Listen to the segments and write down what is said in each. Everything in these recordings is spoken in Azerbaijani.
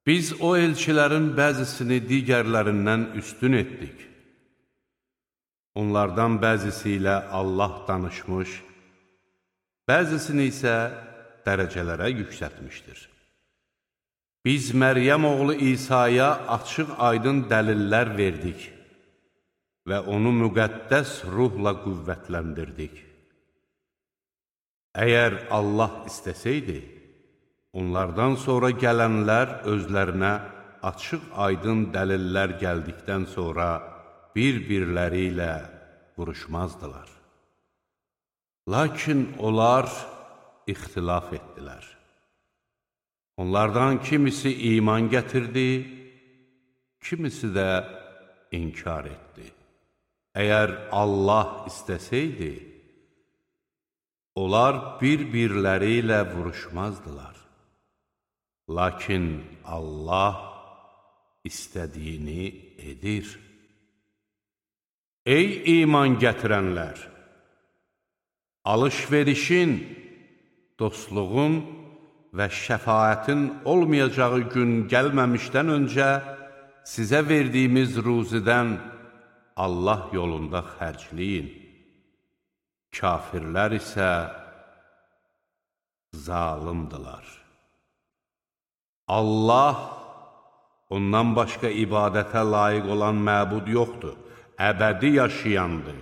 Biz o elçilərin bəzisini digərlərindən üstün etdik. Onlardan bəzisi ilə Allah danışmış, bəzisini isə dərəcələrə yüksətmişdir. Biz Məryəm oğlu İsa'ya açıq aydın dəlillər verdik və onu müqəddəs ruhla qüvvətləndirdik. Əgər Allah istəsəydi, onlardan sonra gələnlər özlərinə açıq aydın dəlillər gəldikdən sonra bir-birləri ilə vuruşmazdılar. Lakin onlar ixtilaf etdilər. Onlardan kimisi iman gətirdi, kimisi də inkar etdi. Əgər Allah istəsəydi, onlar bir-birləri ilə vuruşmazdılar. Lakin Allah istədiyini edir. Ey iman gətirənlər! Alış-verişin, dostluğun və şəfaətin olmayacağı gün gəlməmişdən öncə sizə verdiyimiz ruzidən Allah yolunda xərcləyin. Kafirlər isə zalimdilər. Allah, ondan başqa ibadətə layiq olan məbud yoxdur, əbədi yaşayandır.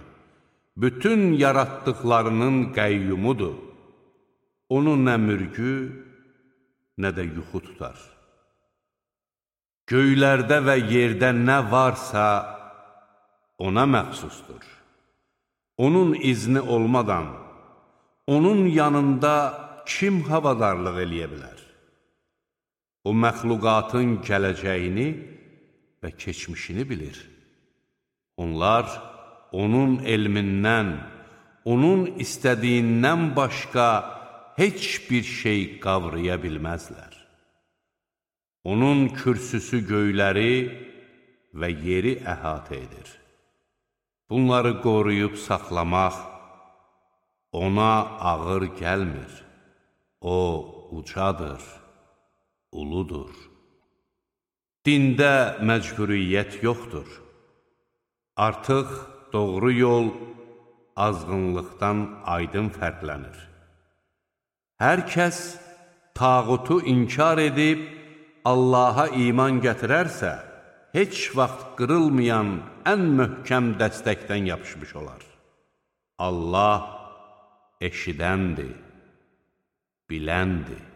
Bütün yaratdıqlarının qəyyumudur. Onun nə mürgü, nə də yuxu tutar. Göylərdə və yerdə nə varsa ona məxsusdur. Onun izni olmadan, onun yanında kim havadarlıq eləyə bilər? O, məxluqatın gələcəyini və keçmişini bilir. Onlar onun elmindən, onun istədiyindən başqa heç bir şey qavraya bilməzlər. Onun kürsüsü göyləri və yeri əhatə edir. Bunları qoruyub saxlamaq ona ağır gəlmir. O, ucadır, uludur. Dində məcburiyyət yoxdur. Artıq doğru yol azğınlıqdan aydın fərqlənir. Hər kəs tağutu inkar edib Allaha iman gətirərsə, heç vaxt qırılmayan ən möhkəm dəstəkdən yapışmış olar. Allah eşidəndir, biləndir.